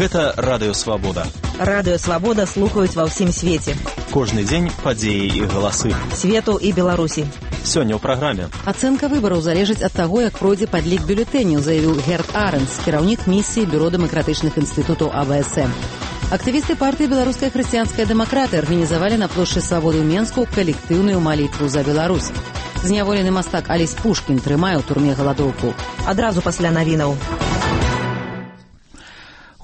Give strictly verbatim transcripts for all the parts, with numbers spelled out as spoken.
Гэта радыёвабода. Радыёвабода слухаюць ва ўсім свеце. Кожны дзень падзеі і галасы. Свету і Беларусі. Сёння ў праграме. Ацэнка выбараў залежыць ад таго, як пройдзе падлік бюлетэняў, заявіў Герт Арэнс, кіраўнік місіі Бюро дэмакратычных інстытутаў А Б С М. Актывісты партыі «Беларуская хрысціянская дэмакраты» арганізавалі на плошчы Свабоды ў Менску калектыўную малітву за Беларусь. Зняволены мастак Алесь Пушкін трымае ў турме галадоўку. Адразу пасля навінаў.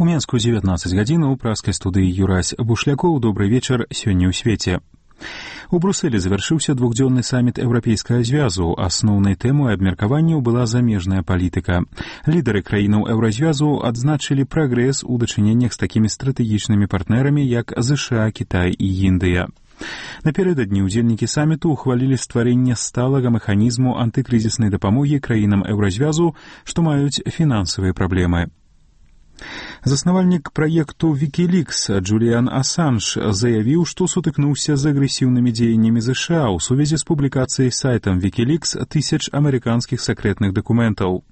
У Менску дзевятнаццаць гадзін у праскай студыі Юрась Бушлякоў. Добрый вечар сёння ў свеце. У Брусэлі завяршыўся двухдзённы саміт еўрапейскага звязу. Асноўнай тэмай абмеркаванняў была замежная палітыка. Лідары краінаў еўразвязу адзначылі прагрэс у дачыненнях з такімі стратэгічнымі партнерамі, як ЗША, Кітай і Індыя. Напярэдадні ўдзельнікі саміту ухвалілі стварэнне сталага механізму антыкрызіснай дапамогі краінам еўразвязу, што маюць фінансавыя праблемы. Заснавальнік праекту Wikileaks Джуліан Асанж заявіў, што сутыкнуўся з агрэсіўнымі дзеяннямі ЗША ў сувязі з публікацыяй сайтам Wikileaks тысяч амерыканскіх сакрэтных дакументаў.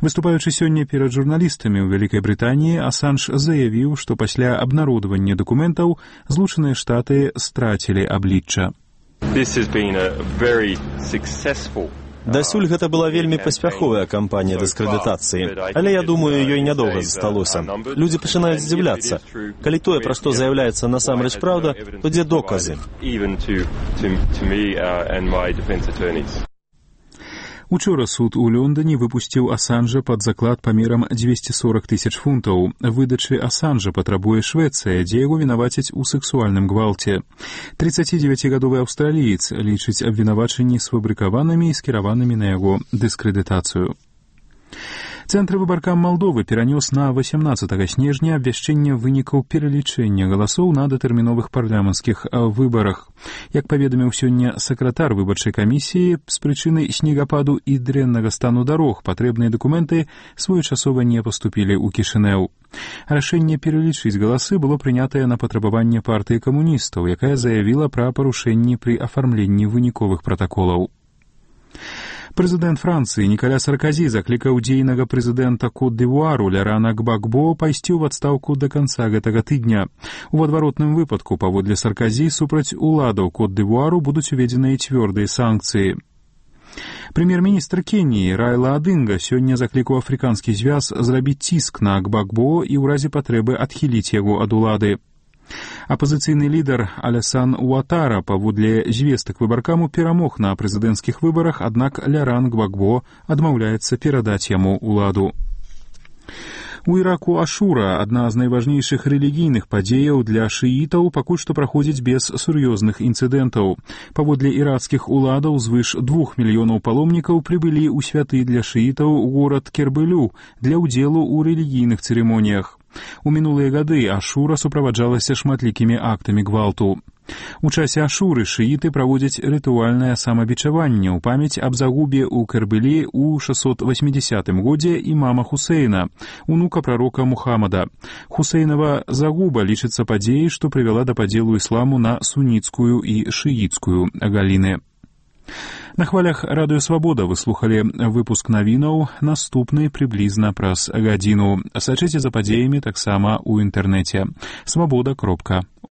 Выступаючы сёння перад журналістамі ў Вялікай Брытаніі, Асанж заявіў, што пасля абнародавання дакументаў Злучаныя Штаты страцілі аблічча. This has been a very successful Дасюль гэта была вельмі паспяховая кампанія дыскрэдытацыі, але я думаю, ёй нядоўга засталося. Людзі пачынаюць здзіўляцца. Калі тое, пра што заяўляецца насамрэч праўда, то дзе доказы? Учора суд у Лондоне выпусціў Асанжа пад заклад памерам дзвесце сорак тысяч фунтаў. Выдачы Асанжа патрабуе Швецыя, дзе яго вінавацяць у сексуальным гвалце. трыццацідзевяцігадовы аўстраліец лічыць абвінавачанні сфабрыкаванымі і скіраванымі на яго дыскрэдытацыю. Цэнтр выбаркам Малдовы перанёс на васямнаццатага снежня абвяшчэнне вынікаў пералічэння галасоў на датэрміновых парламенцкіх выбарах. Як паведаміў сёння сакратар выбарчай камісіі, з прычыны снегападу і дрэннага стану дарог патрэбныя дакументы своечасова не паступілі ў Кішынеў. Рашэнне пералічыць галасы было прынятае на патрабаванне партыі камуністаў, якая заявіла пра парушэнні пры афармленні выніковых пратаколаў. Прэзідэнт Францыі Нікаля Сарказі заклікаў дзейнага прэзідэнта Кот-д'Івуару Лярана Гбагбо пайсці ў адстаўку да канца гэтага тыдня. У адваротным выпадку, паводле Сарказі, супраць уладаў Кот-д'Івуару будуць уведзеныя цвёрдыя санкцыі. Прэм'ер-міністр Кеніі Райла Адынга сёння заклікаў афрыканскі звяз зрабіць ціск на Гбагбо і ў разе патрэбы адхіліць яго ад улады. Апазіцыйны лідар Алясан Уатара паводле звестак выбаркаму перамог на прэзідэнцкіх выбарах, аднак Ляран Гбагбо адмаўляецца перадаць яму ўладу. У Іраку Ашура, адна з найважнейшых рэлігійных падзеяў для шыітаў, пакуль што праходзіць без сур'ёзных інцыдэнтаў. Паводле іракскіх уладаў звыш двух мільёнаў паломнікаў прыбылі ў святы для шыітаў у горад Кербелю для ўдзелу ў рэлігійных цырымоніях. У мінулыя гады Ашура суправаджалася шматлікімі актамі гвалту. У часе Ашуры шыіты праводзяць рытуальнае самабічаванне ў памяць аб загубе ў Кербелі ў шэсцьсот васьмідзясятым годзе імама Хусейна, унука прарока Мухаммада. Хусейнава загуба лічыцца падзеяй, што прывяла да падзелу ісламу на суніцкую і шыіцкую галіны. На хвалях радыёвабода вы слухалі выпуск навінаў, наступны прыблізна праз гадзіну. Сачыце за падзеямі таксама ў інтэрнэце. свабода кропка